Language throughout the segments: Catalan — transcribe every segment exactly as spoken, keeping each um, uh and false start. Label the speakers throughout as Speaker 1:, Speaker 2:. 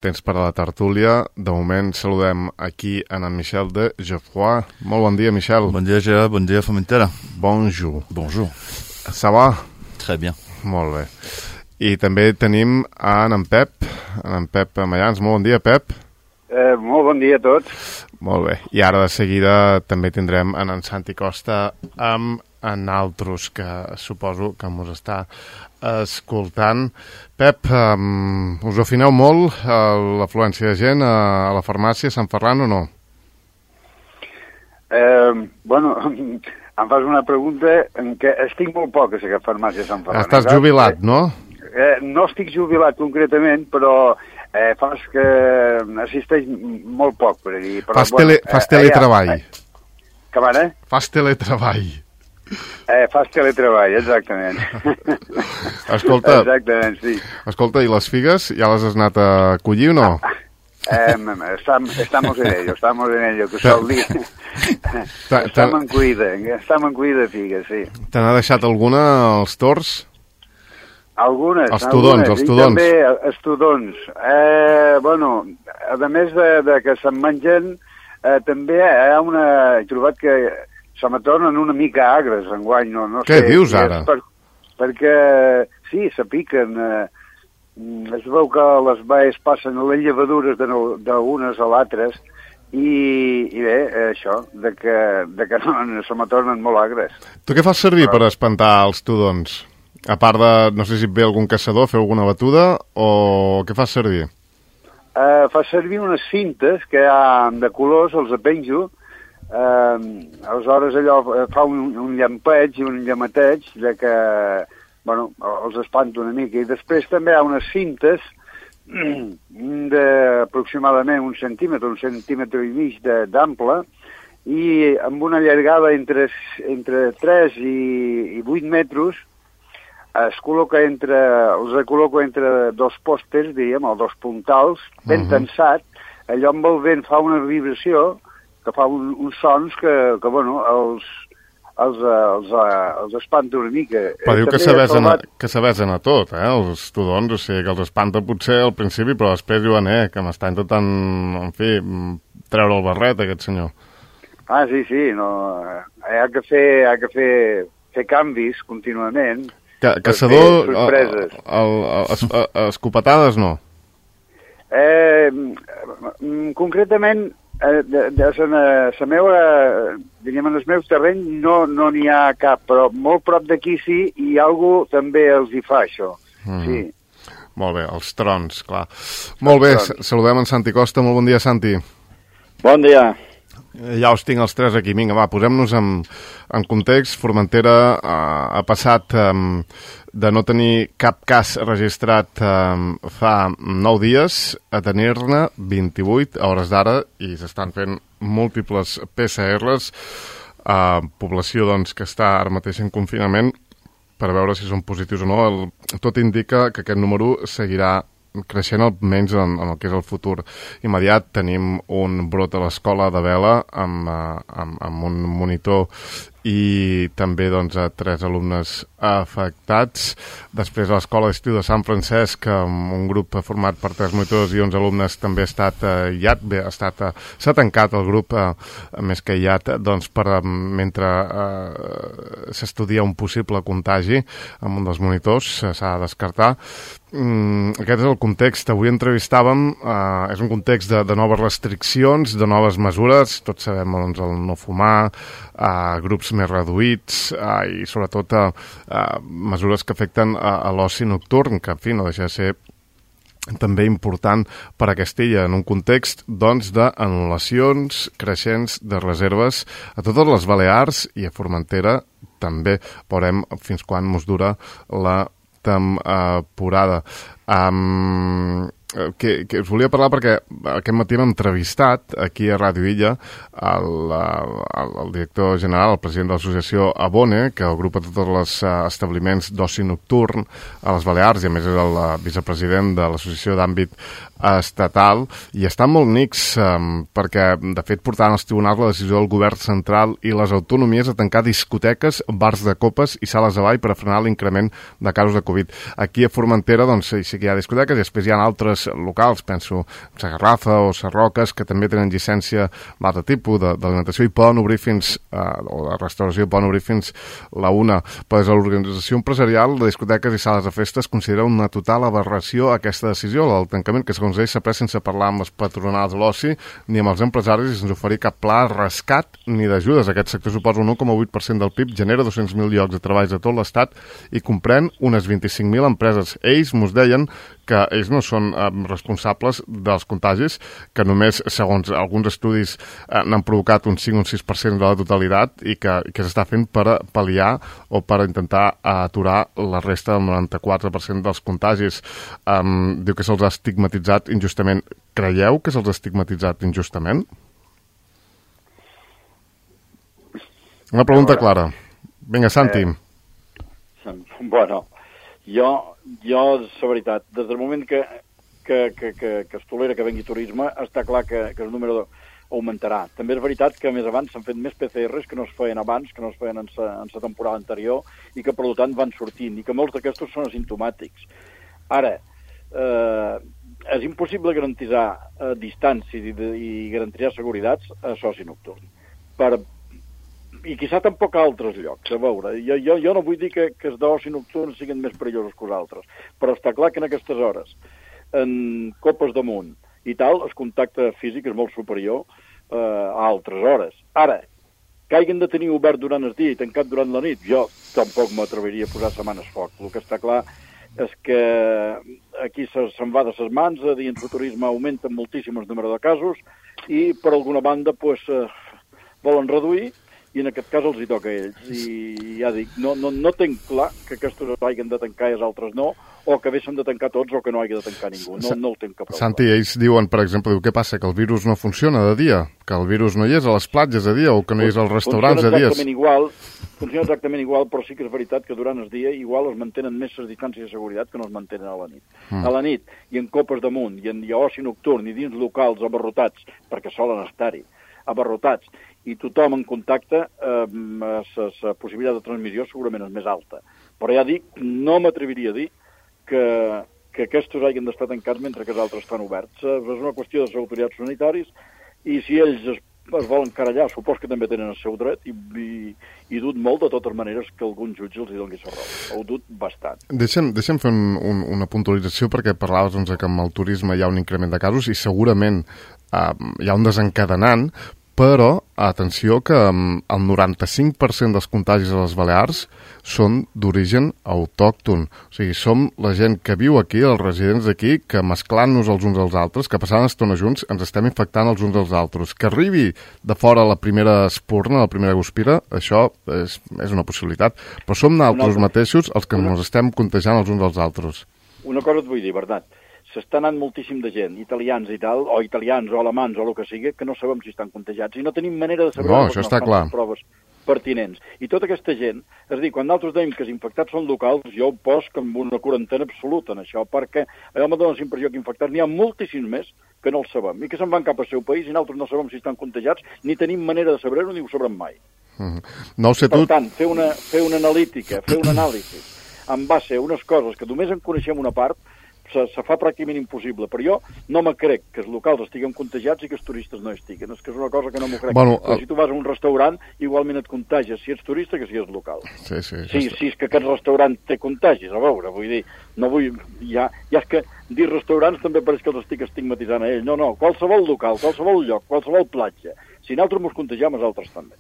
Speaker 1: temps per a la tertúlia. De moment saludem aquí en en Michel de Geoffroy. Molt bon dia, Michel.
Speaker 2: Bon dia, Gérard. Bon dia, Formentera.
Speaker 1: Bonjour.
Speaker 2: Bonjour.
Speaker 1: Ça va?
Speaker 2: Très bien.
Speaker 1: Molt bé. I també tenim en en Pep, en en Pep Mayans. Molt bon dia, Pep.
Speaker 3: Eh, molt bon dia a tots.
Speaker 1: Molt bé. I ara de seguida també tindrem en en Santi Costa amb en altres que suposo que mos està escoltant. Pep, um, us afineu molt uh, l'afluència de gent a, a la farmàcia Sant Ferran o no?
Speaker 3: Eh, bueno, em fas una pregunta en què estic molt poc a la farmàcia Sant Ferran.
Speaker 1: Estàs jubilat, no?
Speaker 3: Eh, no estic jubilat concretament, però eh, fas que assisteix molt poc per allí. Però,
Speaker 1: fas, tele,
Speaker 3: bueno,
Speaker 1: fas
Speaker 3: eh,
Speaker 1: teletreball.
Speaker 3: Eh, que van, eh?
Speaker 1: Fas teletreball.
Speaker 3: Eh, fas teletreball, exactament.
Speaker 1: Escolta,
Speaker 3: exactament, sí.
Speaker 1: Escolta, i les figues ja les has anat a collir o no?
Speaker 3: Eh, estamos, estamos en ello, estamos en ello, que sol dir. Estem en cuida, estem en cuida de figues, sí.
Speaker 1: Te n'ha deixat alguna als tords?
Speaker 3: Algunes.
Speaker 1: Els tudons,
Speaker 3: algunes.
Speaker 1: els tudons.
Speaker 3: I també els tudons. Eh, bueno, a més de, de que se'n mengen, eh, també hi ha una... He trobat que se me tornen una mica agres enguany, no, no
Speaker 1: Què
Speaker 3: sé.
Speaker 1: dius ara?
Speaker 3: Per, perquè, sí, se piquen. Eh, es veu que les baies passen a les llevadures d'unes a l'altres i, i bé, això, de que, de que no, se me tornen molt agres.
Speaker 1: Tu què fas servir
Speaker 3: Però...
Speaker 1: per espantar els tudons? A part de, no sé si et ve algun caçador, fer alguna batuda, o què fas servir?
Speaker 3: Uh, fa servir unes cintes que hi ha de colors, els apenjo. Uh, aleshores allò fa un, un llampeig i un llamateig de que, bueno, els espanto una mica. I després també hi ha unes cintes d'aproximadament un centímetre, un centímetre i mig d'ample, i amb una llargada entre, entre tres i, i vuit metres. Es col·loca entre, els col·loco entre dos pòsters, diríem, o dos puntals, ben uh -huh. tensat. Allò amb el vent fa una vibració que fa un, uns sons que, que bueno, els, els, els, els espanta una mica.
Speaker 1: Però diu
Speaker 3: eh,
Speaker 1: que s'avesen
Speaker 3: trobat...
Speaker 1: a, que s'avesen a tot, eh, els tudons, o sigui, que els espanta potser al principi, però després diuen, eh, que m'està intentant, en fi, treure el barret, aquest senyor.
Speaker 3: Ah, sí, sí, no, hi ha que fer, hi ha que fer, fer canvis contínuament.
Speaker 1: Ca caçador, sorpreses. El, el, el, el, escopetades no?
Speaker 3: Eh, concretament, eh, de, de la, la meva, diríem, en el meu terreny no no n'hi ha cap, però molt prop d'aquí sí, i algú també els hi fa això, mm. sí.
Speaker 1: Molt bé, els trons, clar. Molt bé, trons. Saludem en Santi Costa, molt bon dia, Santi.
Speaker 4: Bon dia.
Speaker 1: Ja us tinc els tres aquí. Vinga, va, posem-nos en, en context. Formentera uh, ha passat um, de no tenir cap cas registrat um, fa nou dies a tenir-ne vint-i-vuit a hores d'ara i s'estan fent múltiples P C Rs. Uh, població doncs, que està ara mateix en confinament per veure si són positius o no. El, tot indica que aquest número seguirà creixent almenys en, en el que és el futur immediat. Tenim un brot a l'escola de Vela amb, amb, amb un monitor i també doncs, a tres alumnes afectats. Després a l'escola d'estiu de Sant Francesc, amb un grup format per tres monitors i onze alumnes també ha estat aïllat. Bé, ha estat, s'ha tancat el grup eh, més que aïllat doncs, per, mentre eh, s'estudia un possible contagi amb un dels monitors, s'ha de descartar. Mm, aquest és el context. Avui entrevistàvem, eh, és un context de, de noves restriccions, de noves mesures, tots sabem doncs, el no fumar, eh, grups més reduïts eh, i sobretot eh, eh, mesures que afecten a, a l'oci nocturn, que en fi no deixa de ser també important per a Castella en un context doncs d'anul·lacions creixents de reserves a totes les Balears i a Formentera també. Veurem fins quan mos dura la temporada. Um, que, que us volia parlar perquè aquest matí hem entrevistat aquí a Ràdio Illa el, el, el director general, el president de l'associació Abone, que agrupa tots els establiments d'oci nocturn a les Balears i a més és el vicepresident de l'associació d'àmbit estatal, i està molt nix um, perquè de fet portaran als tribunals la decisió del govern central i les autonomies a tancar discoteques, bars de copes i sales de ball per a frenar l'increment de casos de Covid. Aquí a Formentera doncs sí que hi ha discoteques i després hi ha altres empreses locals, penso a Garrafa o Sarroques, que també tenen llicència d'altre tipus d'alimentació i poden obrir fins, eh, o de restauració, poden obrir fins la una. Però des de l'organització empresarial de discoteques i sales de festes considera una total aberració aquesta decisió, el tancament, que segons ells s'ha pres sense parlar amb les patronals de l'oci ni amb els empresaris i sense oferir cap pla de rescat ni d'ajudes. Aquest sector suposa un u coma vuit per cent del P I B, genera dos-cents mil llocs de treball a tot l'Estat i comprèn unes vint-i-cinc mil empreses. Ells mos deien que ells no són eh, responsables dels contagis, que només, segons alguns estudis, eh, n'han provocat un cinc o un sis per cent de la totalitat i que, que s'està fent per pal·liar o per intentar aturar la resta del noranta-quatre per cent dels contagis. Um, diu que se'ls ha estigmatitzat injustament. Creieu que se'ls ha estigmatitzat injustament? Una pregunta clara. Vinga, Santi.
Speaker 4: Eh, bueno, jo, jo, la veritat, des del moment que, que, que, que, que es tolera que vengui turisme, està clar que, que el número augmentarà. També és veritat que més abans s'han fet més P C Rs que no es feien abans, que no es feien en la temporada anterior, i que, per tant, van sortint, i que molts d'aquestos són asimptomàtics. Ara, eh, és impossible garantitzar eh, distàncies i, de, i garantitzar seguretats a soci nocturn. Per, I quizà tampoc a altres llocs, a veure. Jo, jo, jo no vull dir que, que els d'oci nocturns siguin més perillosos que els altres, però està clar que en aquestes hores, en copes damunt i tal, el contacte físic és molt superior eh, a altres hores. Ara, que hagin de tenir obert durant el dia i tancat durant la nit, jo tampoc m'atreviria a posar setmanes foc. El que està clar és que aquí se'n va de ses mans, a dins el turisme augmenta moltíssim el número de casos i, per alguna banda, pues, eh, volen reduir i en aquest cas els hi toca a ells. I ja dic, no, no, no tenc clar que aquests hagin de tancar i els altres no, o que haguessin de tancar tots o que no hagi de tancar ningú. No, no ho tenc que provar.
Speaker 1: Santi, ells diuen, per exemple, diu, què passa? Que el virus no funciona de dia? Que el virus no hi és a les platges de dia o que no hi és als restaurants de dies?
Speaker 4: Funciona igual, funciona exactament igual, però sí que és veritat que durant el dia igual es mantenen més les distàncies de seguretat que no es mantenen a la nit. Mm. A la nit, i en copes damunt, i en i oci nocturn, i dins locals abarrotats, perquè solen estar-hi, abarrotats, i tothom en contacte, eh, la possibilitat de transmissió segurament és més alta. Però ja dic, no m'atreviria a dir que, que aquests hagin d'estar tancats mentre que els altres estan oberts. És una qüestió de les autoritats sanitaris i si ells es, es volen carallar, supos que també tenen el seu dret i, i, i dut molt, de totes maneres, que algun jutge els hi doni la raó. Ho dut bastant.
Speaker 1: Deixa'm, deixa'm fer un, un, una puntualització perquè parlaves doncs, que amb el turisme hi ha un increment de casos i segurament eh, hi ha un desencadenant, però, atenció, que el noranta-cinc per cent dels contagis a les Balears són d'origen autòcton. O sigui, som la gent que viu aquí, els residents d'aquí, que mesclant-nos els uns als altres, que passant estona junts, ens estem infectant els uns als altres. Que arribi de fora la primera espurna, la primera guspira, això és, és una possibilitat. Però som nosaltres mateixos els que ens estem contagiant els uns als altres.
Speaker 4: Una cosa et vull dir, Bernat. S'està anant moltíssim de gent, italians i tal, o italians o alemans o el que sigui, que no sabem si estan contagiats i no tenim manera de saber
Speaker 1: no, això està clar.
Speaker 4: Les proves pertinents. I tota aquesta gent, és a dir, quan nosaltres dèiem que els infectats són locals, jo ho poso amb una quarantena absoluta en això, perquè allò me dona la impressió que infectats n'hi ha moltíssims més que no els sabem, i que se'n van cap al seu país i nosaltres no sabem si estan contagiats, ni tenim manera de saber-ho ni ho sabrem mai.
Speaker 1: Mm-hmm. No sé tu...
Speaker 4: Per tant, fer una, fer una analítica, fer un anàlisi en base a unes coses que només en coneixem una part, se, se fa pràcticament impossible, però jo no me crec que els locals estiguen contagiats i que els turistes no estiguen, és que és una cosa que no m'ho crec.
Speaker 1: Bueno,
Speaker 4: però si tu vas a un restaurant, igualment et contagies, si ets turista que si ets local.
Speaker 1: Sí, sí.
Speaker 4: Sí, sí, és que aquest restaurant té contagis, a veure, vull dir, no vull... Ja, ja és que dir restaurants també pareix que els estic estigmatitzant a ells. No, no, qualsevol local, qualsevol lloc, qualsevol platja. Si nosaltres ens contagiam, els altres també.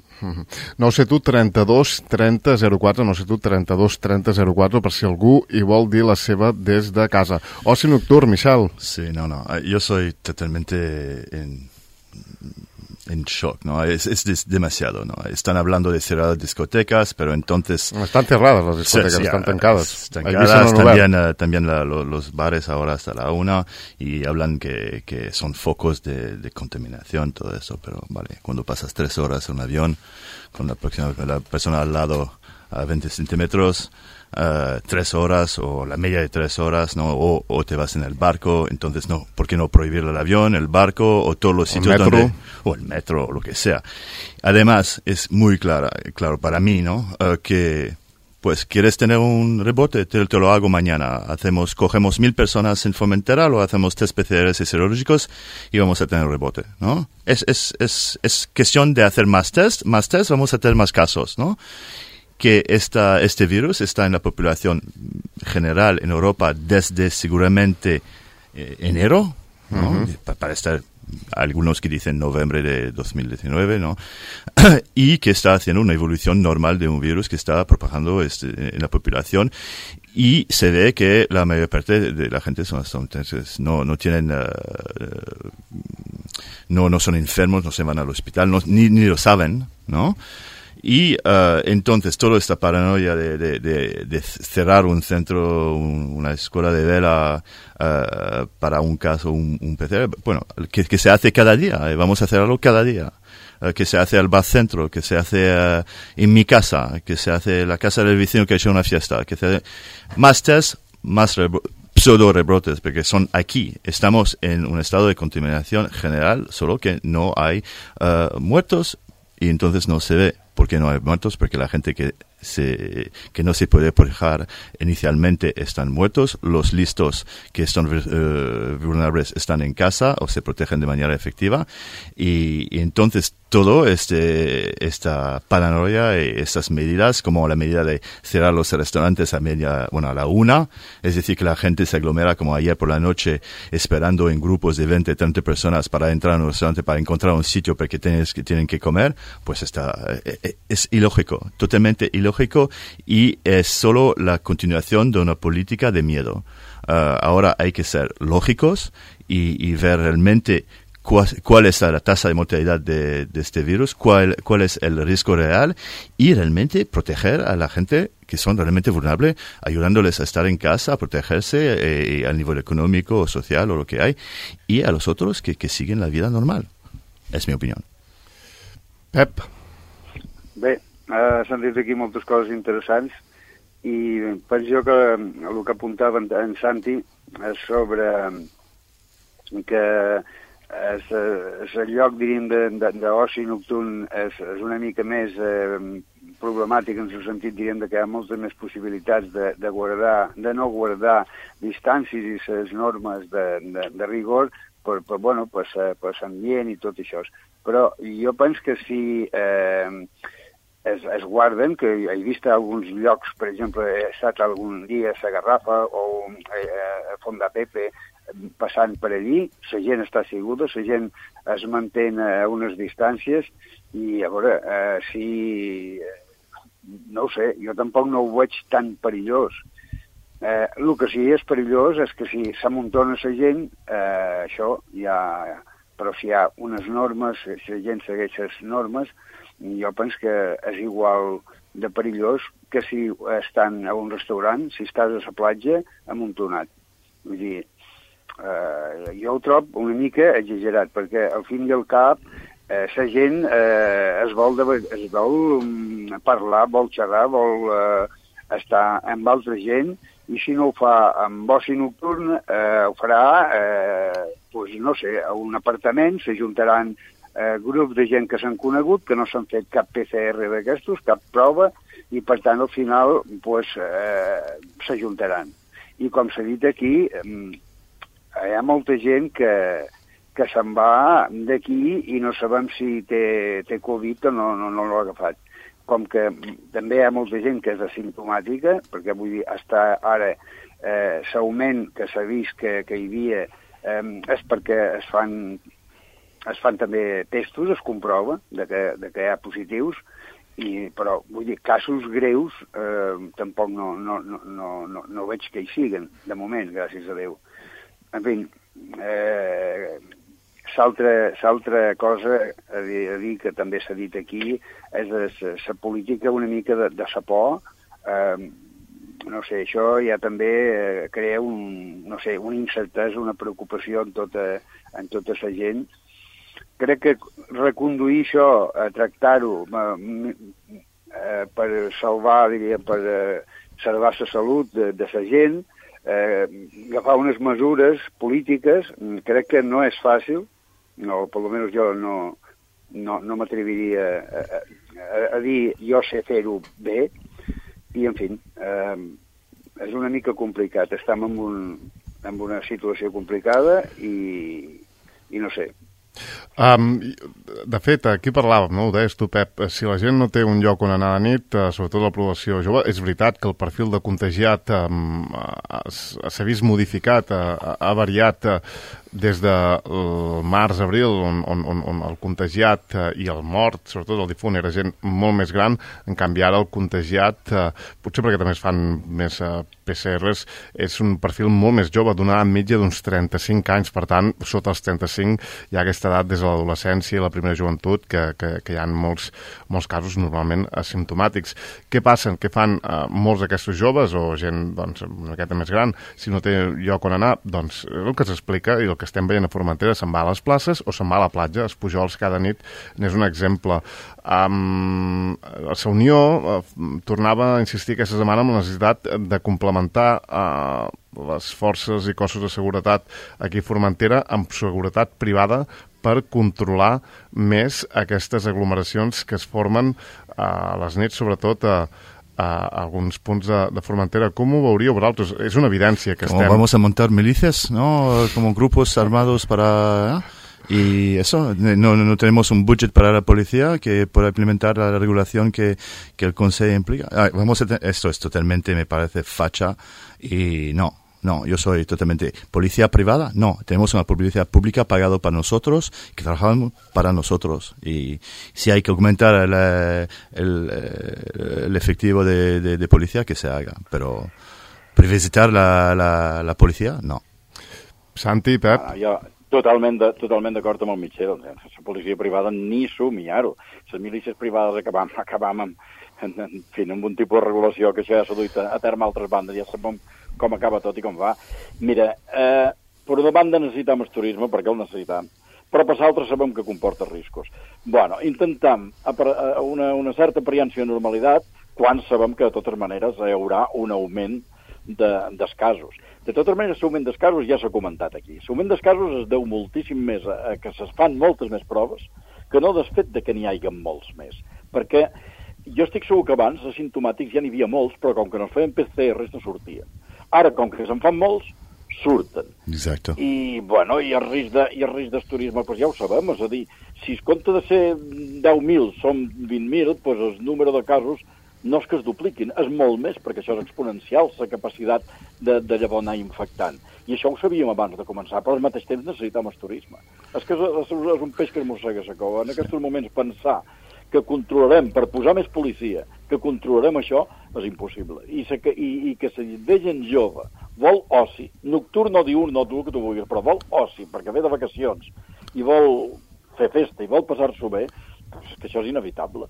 Speaker 1: No sé tu, trenta-dos trenta zero quatre, no sé tu, trenta-dos trenta zero quatre, per si algú hi vol dir la seva des de casa. Oci nocturn, Michel.
Speaker 2: Sí, no, no, yo soy totalmente en, en shock, ¿no? Es, es demasiado, ¿no? Están hablando de cerrar discotecas, pero entonces...
Speaker 1: Están cerradas las discotecas,
Speaker 2: sí, sí,
Speaker 1: están tancadas.
Speaker 2: Tancadas, también, uh, también la, lo, los bares ahora hasta la una, y hablan que, que son focos de, de contaminación, todo eso, pero vale, cuando pasas tres horas en un avión, con la, próxima, la persona al lado a veinte centímetros, Uh, tres horas o la media de tres horas, ¿no? O, o te vas en el barco, entonces no, ¿por qué no prohibir el avión, el barco o todos los sitios
Speaker 1: el metro.
Speaker 2: donde, o el metro o lo que sea? Además, es muy clara, claro para mí, ¿no? Uh, que pues quieres tener un rebote, te, te lo hago mañana. Hacemos, cogemos mil personas en Formentera, lo hacemos test P C Rs y serológicos y vamos a tener rebote, ¿no? Es, es, es, es cuestión de hacer más test, más test, vamos a tener más casos, ¿no? Que esta, este virus está en la población general en Europa desde seguramente eh, enero, ¿no? Uh-huh. Pa- para estar algunos que dicen noviembre de dos mil diecinueve, ¿no? Y que está haciendo una evolución normal de un virus que está propagando este, en la población, y se ve que la mayor parte de la gente son, son no, no tienen, uh, no, no son enfermos, no se van al hospital, no, ni, ni lo saben, ¿no? Y uh, entonces toda esta paranoia de, de, de, de cerrar un centro, un, una escuela de vela uh, para un caso, un, un P C R, bueno, que, que se hace cada día, eh, vamos a hacerlo cada día, uh, que se hace al bar centro, que se hace uh, en mi casa, que se hace en la casa del vecino que ha hecho una fiesta, que se hace más test, más rebro- pseudo rebrotes, porque son aquí, estamos en un estado de contaminación general, solo que no hay uh, muertos y entonces no se ve. ¿Por qué no hay muertos? Porque la gente que se, que no se puede proteger inicialmente están muertos, los listos que están uh, vulnerables están en casa o se protegen de manera efectiva, y, y entonces todo este, esta paranoia y estas medidas, como la medida de cerrar los restaurantes a media, bueno, a la una, es decir, que la gente se aglomera como ayer por la noche esperando en grupos de veinte, treinta personas para entrar a un restaurante, para encontrar un sitio porque tienes, que tienen que comer, pues está, es ilógico, totalmente ilógico, y es solo la continuación de una política de miedo. Uh, ahora hay que ser lógicos y, y ver realmente cuál, cuál es la tasa de mortalidad de, de este virus, cuál, cuál es el riesgo real, y realmente proteger a la gente que son realmente vulnerables, ayudándoles a estar en casa, a protegerse eh, a nivel económico o social o lo que hay, y a los otros que, que siguen la vida normal. Es mi opinión.
Speaker 1: Pep.
Speaker 3: Bé, uh, s'han dit aquí moltes coses interessants, i penso jo que el que apuntava en, en Santi és sobre que és, és el lloc, diríem, d'oci nocturn és, és una mica més eh, problemàtic, en el sentit, diríem, que hi ha moltes més possibilitats de, de guardar, de no guardar distàncies i les normes de, de, de rigor per, per, bueno, per, per l'ambient i tot això. Però jo penso que si eh, es, es guarden, que he vist alguns llocs, per exemple, he estat algun dia a la Garrafa o a Font de Pepe passant per allí, la gent està asseguda, la gent es manté a unes distàncies, i a veure, eh, si... no ho sé, jo tampoc no ho veig tan perillós. Eh, el que sí és perillós és que si s'amuntona la gent, eh, això ja... Però si hi ha unes normes, si la gent segueix les normes, jo penso que és igual de perillós que si estan a un restaurant, si estàs a la platja, amuntonat. Vull dir, eh, jo ho trobo una mica exagerat, perquè al fin i al cap eh, la gent eh, es vol, de, es vol parlar, vol xerrar, vol eh, estar amb altra gent, i si no ho fa amb oci nocturn, eh, ho farà, eh, pues, no sé, a un apartament, s'ajuntaran eh, grups de gent que s'han conegut, que no s'han fet cap P C R d'aquestos, cap prova, i per tant al final pues, eh, s'ajuntaran. I com s'ha dit aquí, eh, hi ha molta gent que, que se'n va d'aquí i no sabem si té, té Covid o no, no, no l'ha agafat. Com que també hi ha molta gent que és asimptomàtica, perquè vull dir, està ara eh, l'augment que s'ha vist que, que hi havia eh, és perquè es fan, es fan també testos, es comprova de que, de que hi ha positius, i, però vull dir, casos greus eh, tampoc no, no, no, no, no, no veig que hi siguen, de moment, gràcies a Déu. En fi, eh, l'altra cosa a dir, a dir que també s'ha dit aquí és la política una mica de, de sa por. Eh, no sé, això ja també eh, crea un, no sé, una incertesa, una preocupació en tota, en tota la gent. Crec que reconduir això, a tractar-ho eh, eh, per salvar, diria, per eh, salvar la salut de, de la gent, eh, agafar unes mesures polítiques, crec que no és fàcil. No, per almenys jo no, no, no m'atreviria a, a, a dir jo sé fer-ho bé, i en fi, eh, és una mica complicat. Estem en, un, en una situació complicada i, i no sé.
Speaker 1: Um, de fet, aquí parlàvem, no? Ho deies tu, Pep, si la gent no té un lloc on anar de nit, uh, sobretot la població jove, és veritat que el perfil de contagiat um, s'ha vist modificat, uh, ha variat uh, des de març-abril, on, on, on el contagiat uh, i el mort, sobretot el difunt, era gent molt més gran. En canvi, ara el contagiat, uh, potser perquè també es fan més uh, P C Rs, és un perfil molt més jove, d'una edat mitja d'uns trenta-cinc anys, per tant, sota els trenta-cinc hi ha aquesta edat des de l'adolescència i la primera joventut, que, que, que hi ha molts, molts casos normalment asimptomàtics. Què passen? Què fan uh, molts d'aquestos joves o gent doncs, una miqueta més gran? Si no té lloc on anar, doncs és el que s'explica i el que estem veient a Formentera, se'n va a les places o se'n va a la platja. Els pujols cada nit n'és un exemple. Um, la Unió uh, tornava a insistir aquesta setmana en la necessitat de complementar uh, les forces i cossos de seguretat aquí a Formentera amb seguretat privada per controlar més aquestes aglomeracions que es formen uh, a les nits, sobretot a uh, a alguns punts de, de Formentera. Com ho veuríeu vosaltres? És una evidència que
Speaker 2: como
Speaker 1: estem...
Speaker 2: Vamos a montar milicias, ¿no? Como grupos armados para... ¿eh? Y eso, no, no tenemos un budget para la policía que pueda implementar la regulación que, que el Consejo implica. Ah, vamos a te- esto es totalmente, me parece, facha y no. No, yo soy totalmente policía privada. No, tenemos una policía pública pagado para nosotros, que trabajamos para nosotros. Y si hay que aumentar el, el, el efectivo de, de, de policía, que se haga. Pero privatitzar la, la, la policía, no.
Speaker 1: Santi, Pep?
Speaker 4: Ah, jo totalment de, totalment d'acord amb el Mitchell. La policia privada ni somiar-ho. Les milícies privades acabam, acabam amb, en, en, fi, amb un tipus de regulació que això ja s'ha duit a, a terme altres bandes. Ja sabem com acaba tot i com va. Mira, eh, per una banda necessitem el turisme, perquè el necessitem, però per l'altra sabem que comporta riscos. Bueno, intentam una, una certa apariència de normalitat quan sabem que de totes maneres hi haurà un augment de, dels casos. De totes maneres, l'augment dels casos ja s'ha comentat aquí. L'augment dels casos es deu moltíssim més a, a que es fan moltes més proves que no del fet de que n'hi hagi molts més. Perquè jo estic segur que abans asimptomàtics ja n'hi havia molts, però com que no es feien P C Rs no sortien. Ara, com que se'n fan molts, surten.
Speaker 2: Exacto.
Speaker 4: I, bueno, i el risc de, i el risc del turisme, doncs ja ho sabem, és a dir, si es compta de ser deu mil, som vint mil, doncs el número de casos no és que es dupliquin, és molt més, perquè això és exponencial, la capacitat de, de llavors anar infectant. I això ho sabíem abans de començar, però al mateix temps necessitem el turisme. És que és, és, és un peix que es mossega la cova. En aquests moments pensar que controlarem, per posar més policia, que controlarem això, és impossible. I, se, i, i que si ve gent jove, vol oci, nocturn o diurn, no tu que tu vulguis, però vol oci, perquè ve de vacacions, i vol fer festa, i vol passar-s'ho bé, doncs que això és inevitable.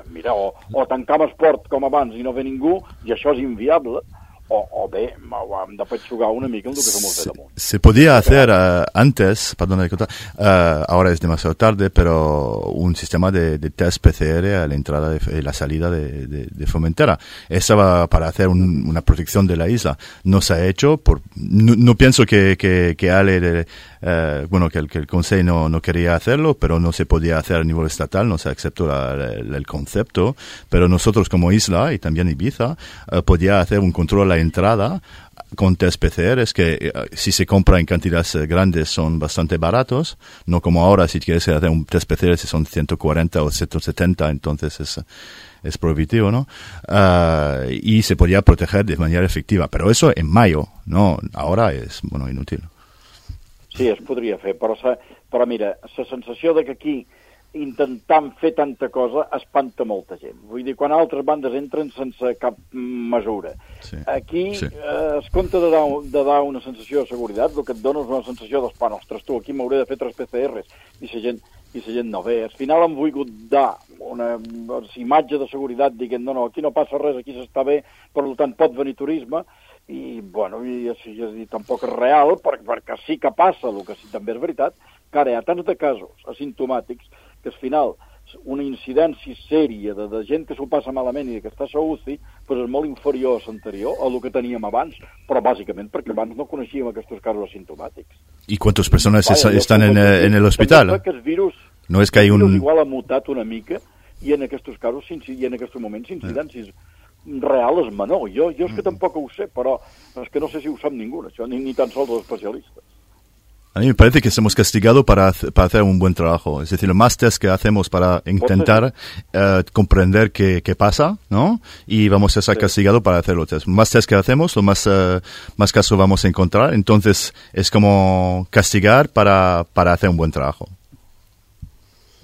Speaker 4: Mira, o, o tancam esport com abans i no ve ningú, i això és inviable, o, o bé, hem de petxugar una mica el que som de damunt.
Speaker 2: Se podía hacer uh, antes, perdón, uh, ahora es demasiado tarde, pero un sistema de, de test P C R a la entrada y la salida de, de, de Formentera. Eso va para hacer un, una protección de la isla. No se ha hecho, por, no, no pienso que, que, que Ale, de, uh, bueno, que el, que el Consejo no, no quería hacerlo, pero no se podía hacer a nivel estatal, no se aceptó la, la, el concepto, pero nosotros como isla y también Ibiza, uh, podía hacer un control a la entrada con test P C Rs que uh, si se compra en cantidades uh, grandes son bastante baratos, no como ahora si quieres hacer un test P C R si son ciento cuarenta o ciento setenta, entonces es, es prohibitivo, ¿no? Uh, y se podía proteger de manera efectiva, pero eso en mayo, no, ahora es, bueno, inútil.
Speaker 4: Sí, es podria fer, però, però mira, la sensació de que aquí intentant fer tanta cosa espanta molta gent. Vull dir, quan altres bandes entren sense cap mesura. Sí. Aquí sí. Eh, es compta de dar, de dar una sensació de seguretat, el que et dona és una sensació de, pa, ostres, tu, aquí m'hauré de fer tres P C Rs, i la gent, i la gent no ve. Al final han volgut dar una imatge de seguretat, dient, no, no, aquí no passa res, aquí s'està bé, per tant pot venir turisme, i, bueno, i, i, i tampoc és real, perquè, perquè sí que passa, el que sí també és veritat, que ara hi ha tants de casos asimptomàtics que al final una incidència sèria de, de gent que s'ho passa malament i que està a la U C I pues és molt inferior a l'anterior, a el que teníem abans, però bàsicament perquè abans no coneixíem aquests casos asimptomàtics.
Speaker 2: ¿Y cuántas personas Vaya, están en, en el hospital?
Speaker 4: Que el virus,
Speaker 2: no és que hay un...
Speaker 4: igual ha mutat una mica i en aquests casos i en aquests moments incidències real és menor. Jo, jo és que tampoc ho sé, però és que no sé si ho sap ningú, això, ni, ni tan sols els especialistes.
Speaker 2: A mí me parece que somos castigados para, para hacer un buen trabajo. Es decir, más test que hacemos para intentar uh, comprender qué, qué pasa, ¿no? Y vamos a ser sí. castigados para hacer los test. Más test que hacemos, lo más, uh, más casos vamos a encontrar. Entonces, es como castigar para, para hacer un buen trabajo.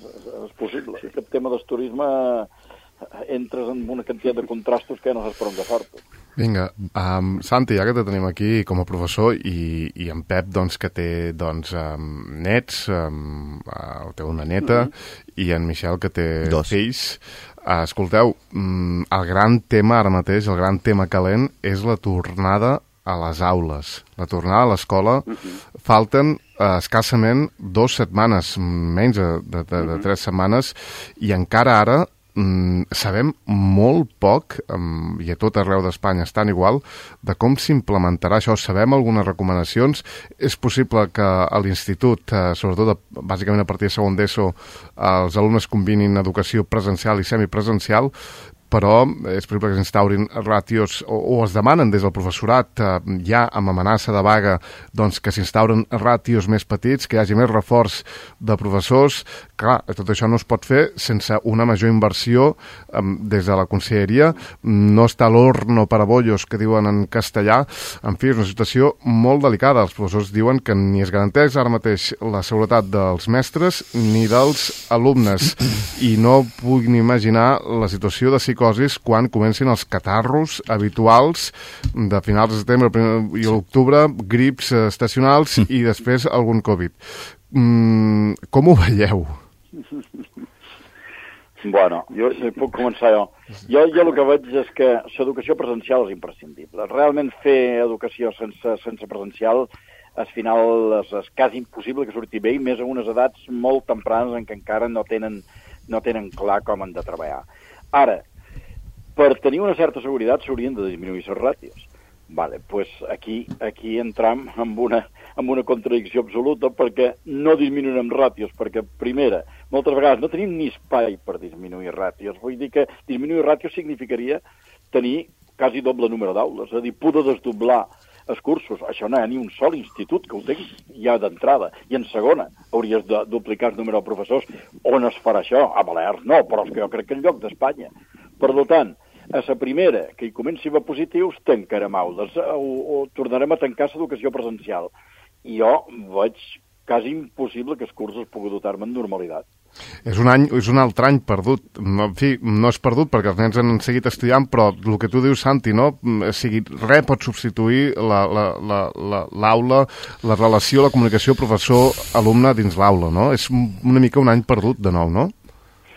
Speaker 4: És, és possible. Sí. Aquest tema del turisme entres en una quantitat de contrastos que ja no saps per on agafar-te.
Speaker 1: Vinga, um, Santi, ja que te tenim aquí com a professor i, i en Pep, doncs, que té doncs, um, nets, um, uh, té una neta, mm-hmm. i en Michel, que té Dos. fills. Uh, escolteu, um, el gran tema ara mateix, el gran tema calent, és la tornada a les aules, la tornada a l'escola. Mm-hmm. Falten uh, escassament dues setmanes, menys de, de, de, mm-hmm. de tres setmanes, i encara ara Mm, sabem molt poc, um, i a tot arreu d'Espanya estan igual, de com s'implementarà això. Sabem algunes recomanacions. És possible que a l'institut, eh, sobretot de, bàsicament a partir de segon d'ESO, eh, els alumnes combinin educació presencial i semipresencial, però és possible que s'instaurin ràtios o, o es demanen des del professorat eh, ja amb amenaça de vaga doncs, que s'instauren ràtios més petits, que hi hagi més reforç de professors. Clar, tot això no es pot fer sense una major inversió eh, des de la conselleria. No està l'horno para bollos, que diuen en castellà. En fi, és una situació molt delicada. Els professors diuen que ni es garanteix ara mateix la seguretat dels mestres ni dels alumnes, i no puguin imaginar la situació de psicosi quan comencin els catarros habituals de finals de setembre i l'octubre, grips estacionals i després algun Covid. Mm, com ho veieu?
Speaker 4: Bueno, jo puc començar jo. Jo, jo el que veig és que l'educació presencial és imprescindible. Realment fer educació sense, sense presencial al final és, és quasi impossible que surti bé, i més a unes edats molt tempranes en què encara no tenen, no tenen clar com han de treballar. Ara, per tenir una certa seguretat s'haurien de disminuir les ràtios. Vale, pues aquí, aquí entram en una, en una contradicció absoluta, perquè no disminuirem ràtios, perquè, primera, moltes vegades no tenim ni espai per disminuir ràtios. Vull dir que disminuir ràtios significaria tenir quasi doble número d'aules, és a dir, poder desdoblar els cursos. Això no hi ha ni un sol institut que ho tingui ja d'entrada. I en segona, hauries de duplicar el número de professors. On es farà això? A Balears no, però és que jo crec que en lloc d'Espanya. Per tant, a la primera, que hi comenci a haver positius, tancarem aules o, o tornarem a tancar l'educació presencial. I jo veig quasi impossible que els cursos pugui dotar-me en normalitat.
Speaker 1: És un any, és un altre any perdut. No, en fi, no és perdut perquè els nens han seguit estudiant, però el que tu dius, Santi, no? O sigui, res pot substituir la, la, la, la, l'aula, la relació, la comunicació professor-alumne dins l'aula, no? És una mica un any perdut de nou, no?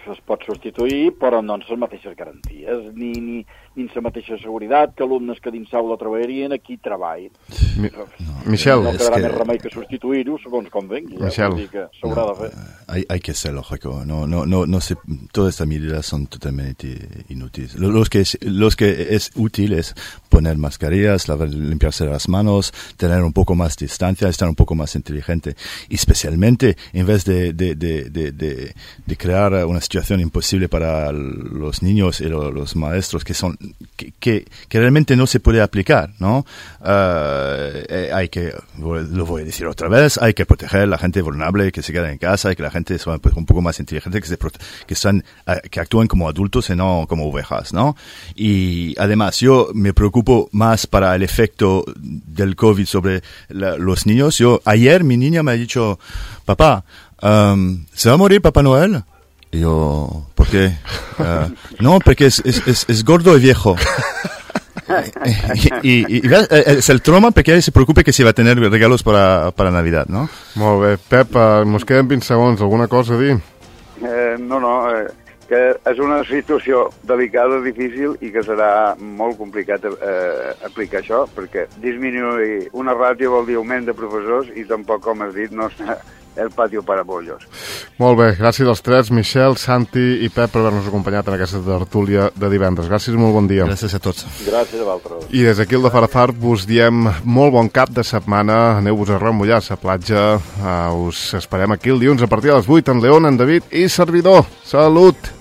Speaker 4: Es pot substituir, però no en les mateixes garanties, ni, ni, ni en la mateixa seguretat que alumnes que dins l'aula treballarien, aquí treballen.
Speaker 1: Mi no, Michel,
Speaker 4: no quedarà
Speaker 2: que...
Speaker 4: més remei que substituir-ho, segons com vengui.
Speaker 1: Michel,
Speaker 4: ja, que s'haurà
Speaker 2: no,
Speaker 4: de fer.
Speaker 2: Hay, hay que ser lógico. No, no, no, no sé, todas estas medidas son totalmente inútiles. Los que, es, los que es útil es poner mascarillas, lavar, limpiarse las manos, tener un poco más distancia, estar un poco más inteligente. Y especialmente, en vez de, de, de, de, de, de crear una situación imposible para los niños y lo, los maestros que son que, que, que realmente no se puede aplicar, ¿no? Uh, eh, hay que, lo voy a decir otra vez, hay que proteger a la gente vulnerable que se queda en casa y que la gente sea pues, un poco más inteligente, que se que están que actúen como adultos y no como ovejas, ¿no? Y además yo me preocupo más para el efecto del COVID sobre la, los niños. Yo ayer mi niña me ha dicho, papá, um, ¿se va a morir Papá Noel? Y yo, ¿por qué? Uh, no, porque es, es, es, es gordo y viejo. I, i, i és el trauma perquè ell se preocupa que si va tenir regalos para, para Navidad, no?
Speaker 1: Molt bé. Pep, uh, mos queden vint segons. Alguna cosa a dir?
Speaker 3: Eh, no, no, eh, que és una situació delicada, difícil, i que serà molt complicat eh, aplicar això, perquè disminuir una ràtio vol dir augment de professors i tampoc, com has dit, no està el patio para bollos.
Speaker 1: Molt bé, gràcies als tres, Michel, Santi i Pep, per haver-nos acompanyat en aquesta tertúlia de divendres. Gràcies i molt bon dia.
Speaker 2: Gràcies a tots.
Speaker 4: Gràcies a vosaltres.
Speaker 1: I des d'aquí el de Farafar vos diem molt bon cap de setmana. Aneu-vos a remullar a la platja. Uh, us esperem aquí el dilluns a partir de les vuit, en León, en David i servidor. Salut!